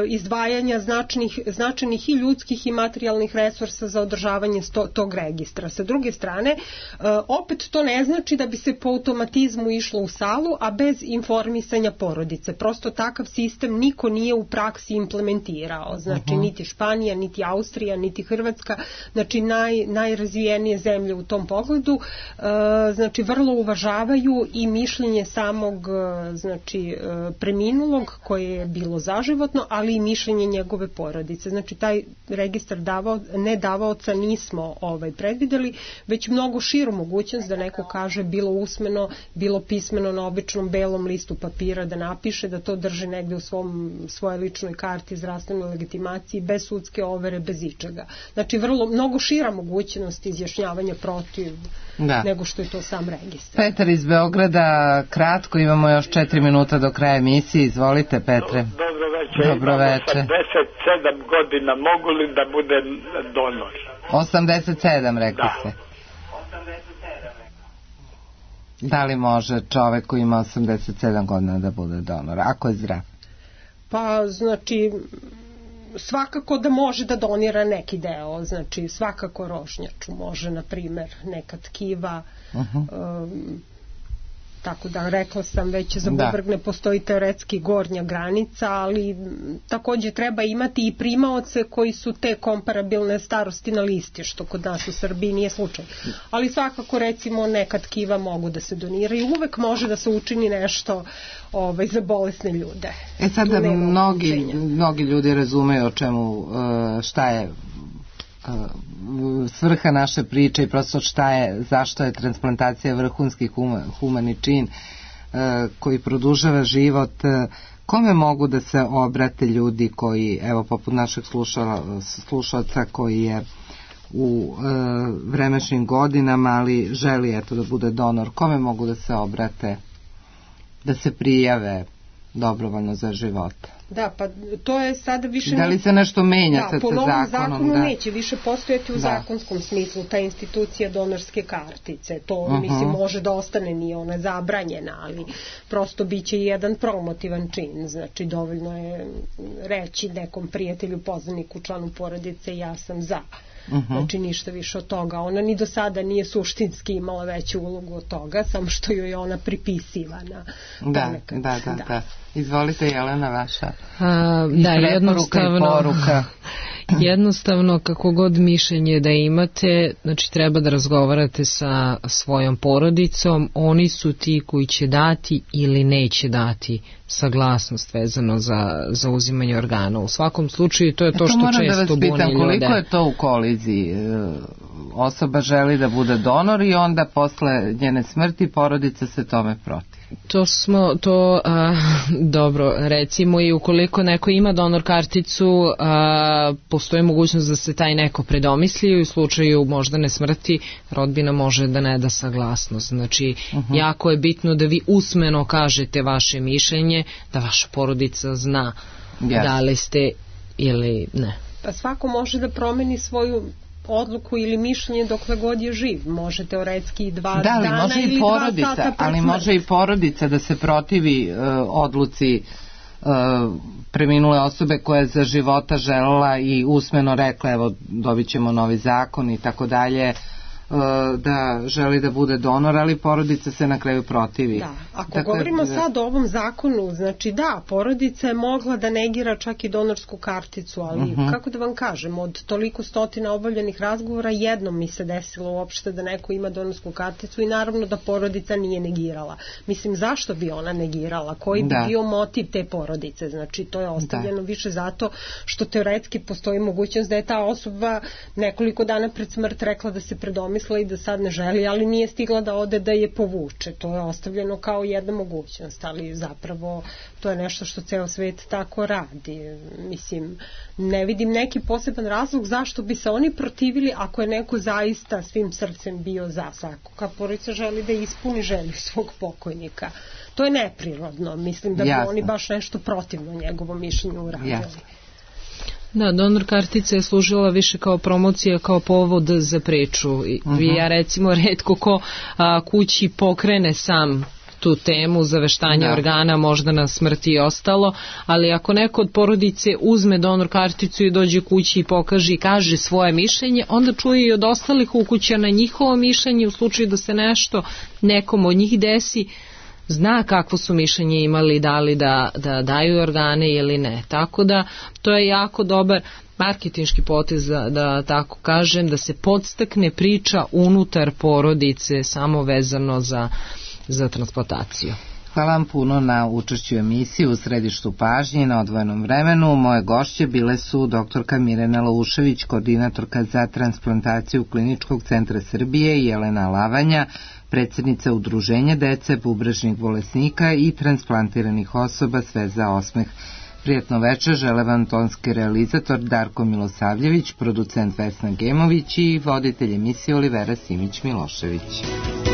izdvajanja značajnih, značajnih i ljudskih i materijalnih resursa za održavanje sto, tog registra. Sa druge strane, uh, opet to ne znači da bi se po automatizmu išlo u salu, a bez informisanja porodice. Prosto takav sistem niko nije u praksi implementirao. Znači, uh-huh. niti Španija, niti Austrija, niti Hrvatska, znači naj, najrazvijenije zemlje u tom pogledu, uh, znači vrlo uvažavaju i mišljenje samog, znači, preminulog koje je bilo zaživotno, ali i mišljenje njegove porodice. Znači, taj registar davao, ne davaoca nismo ovaj, predvideli, već mnogo širu mogućnost da neko kaže bilo usmeno, bilo pismeno na običnom belom listu papira da napiše, da to drži negde u svom, svojoj ličnoj karti zdravstvenoj legitimaciji, bez sudske overe, bez ičega. Znači, vrlo, mnogo šira mogućnost izjašnjavanja protiv da. nego što je to sam registar. Petar iz Beograda, kratko, imamo još četiri minuta do kraja emisije. Izvolite, Petre. Dobro večer. Dobro večer. osamdeset sedam godina, mogu li da budem donor? osamdeset sedam, rekli da. ste. Da li može čovek koji ima osamdeset sedam godina da bude donor, ako je zdrav? Pa, znači, svakako da može da donira neki deo, znači svakako rožnjaču može, na primer, neka tkiva, uh-huh. um, tako da rekla sam već za bubreg ne postoji teoretski gornja granica, ali takođe treba imati i primaoce koji su te komparabilne starosti na listi, što kod nas u Srbiji nije slučaj. Ali svakako, recimo, neka tkiva mogu da se doniraju, uvek može da se učini nešto ovaj, za bolesne ljude. E sada mnogi, mnogi ljudi razumeju o čemu, šta je svrha naše priče i prosto šta je, zašto je transplantacija vrhunski humani čin koji produžava život. Kome mogu da se obrate ljudi koji, evo, poput našeg slušalca koji je u vremešnim godinama, ali želi, eto, da bude donor, kome mogu da se obrate, da se prijave dobrovoljno za život? Da, pa to je sada više... Da li se nešto menja da, sad sa zakonom? Po novom zakonu da. neće više postojati u da. zakonskom smislu ta institucija donorske kartice. To, uh-huh. mislim, može da ostane, nije ona zabranjena, ali prosto biće jedan promotivan čin. Znači, dovoljno je reći nekom prijatelju, poznaniku, članu porodice, ja sam za. Uh-huh. Znači, ništa više od toga. Ona ni do sada nije suštinski imala veću ulogu od toga, samo što joj je ona pripisivana. Da, ponekad. da, da, da, da. Izvolite, Jelena, vaša. A, da, jednostavno, jednostavno, kako god mišljenje da imate, znači treba da razgovarate sa svojom porodicom, oni su ti koji će dati ili neće dati saglasnost vezano za, za uzimanje organa. U svakom slučaju to je to što često buni ljude. Moram da vas pitam, koliko je to u koliziji? Osoba želi da bude donor i onda posle njene smrti porodica se tome protiv. To smo, to, a, dobro, recimo i ukoliko neko ima donor karticu, a, postoji mogućnost da se taj neko predomisli i u slučaju moždane smrti rodbina može da ne da saglasnost. Znači, uh-huh. jako je bitno da vi usmeno kažete vaše mišljenje, da vaša porodica zna yes. da li ste ili ne. Pa svako može da promeni svoju odluku ili mišljenje dokle god je živ. Može teoretski dva da, dana može ili i porodica, dva sata pred ali smrt. može i porodica da se protivi uh, odluci uh, preminule osobe koja je za života želela i usmeno rekla, evo, dobit ćemo novi zakon i tako dalje, da želi da bude donor, ali porodica se na kraju protivi. Da, ako dakle, govorimo da... sad o ovom zakonu, znači da, porodica je mogla da negira čak i donorsku karticu, ali uh-huh. kako da vam kažem, od toliko stotina obavljenih razgovora jednom mi se desilo uopšte da neko ima donorsku karticu i naravno da porodica nije negirala. Mislim, zašto bi ona negirala? Koji bi da. bio motiv te porodice? Znači, to je ostavljeno da. više zato što teoretski postoji mogućnost da je ta osoba nekoliko dana pred smrt rekla da se predomi i da sad ne želi, ali nije stigla da ode da je povuče. To je ostavljeno kao jedna mogućnost, ali zapravo to je nešto što ceo svet tako radi. Mislim, ne vidim neki poseban razlog zašto bi se oni protivili ako je neko zaista svim srcem bio za. Svaka porodica želi da ispuni želju svog pokojnika. to je neprirodno. Mislim da bi Jasno. oni baš nešto protivno njegovom mišljenju uradili. Jasno. Da, donor kartica je služila više kao promocija, kao povod za priču. I uh-huh. ja recimo retko ko a, kući pokrene sam tu temu zaveštanja da. organa, možda na smrti i ostalo, ali ako neko od porodice uzme donor karticu i dođe kući i pokaže i kaže svoje mišljenje, onda čuje i od ostalih ukućana njihovo mišljenje u slučaju da se nešto nekom od njih desi, zna kakvo su mišljenje imali, da li da, da daju organe ili ne. Tako da to je jako dobar marketinški potez, da, da tako kažem, da se podstakne priča unutar porodice samo vezano za, za transplantaciju. Hvala vam puno na učešću u emisiji u središtu pažnje na odvojenom vremenu. Moje gošće bile su doktorka Mirjana Laušević, koordinatorka za transplantaciju Kliničkog centra Srbije, i Jelena Lavanja, predsjednica Udruženja dece bubrežnih bolesnika i transplantiranih osoba Sve za osmeh. Prijatno večer žele vam tonski realizator Darko Milosavljević, producent Vesna Gemović i voditelj emisije Olivera Simić-Milošević.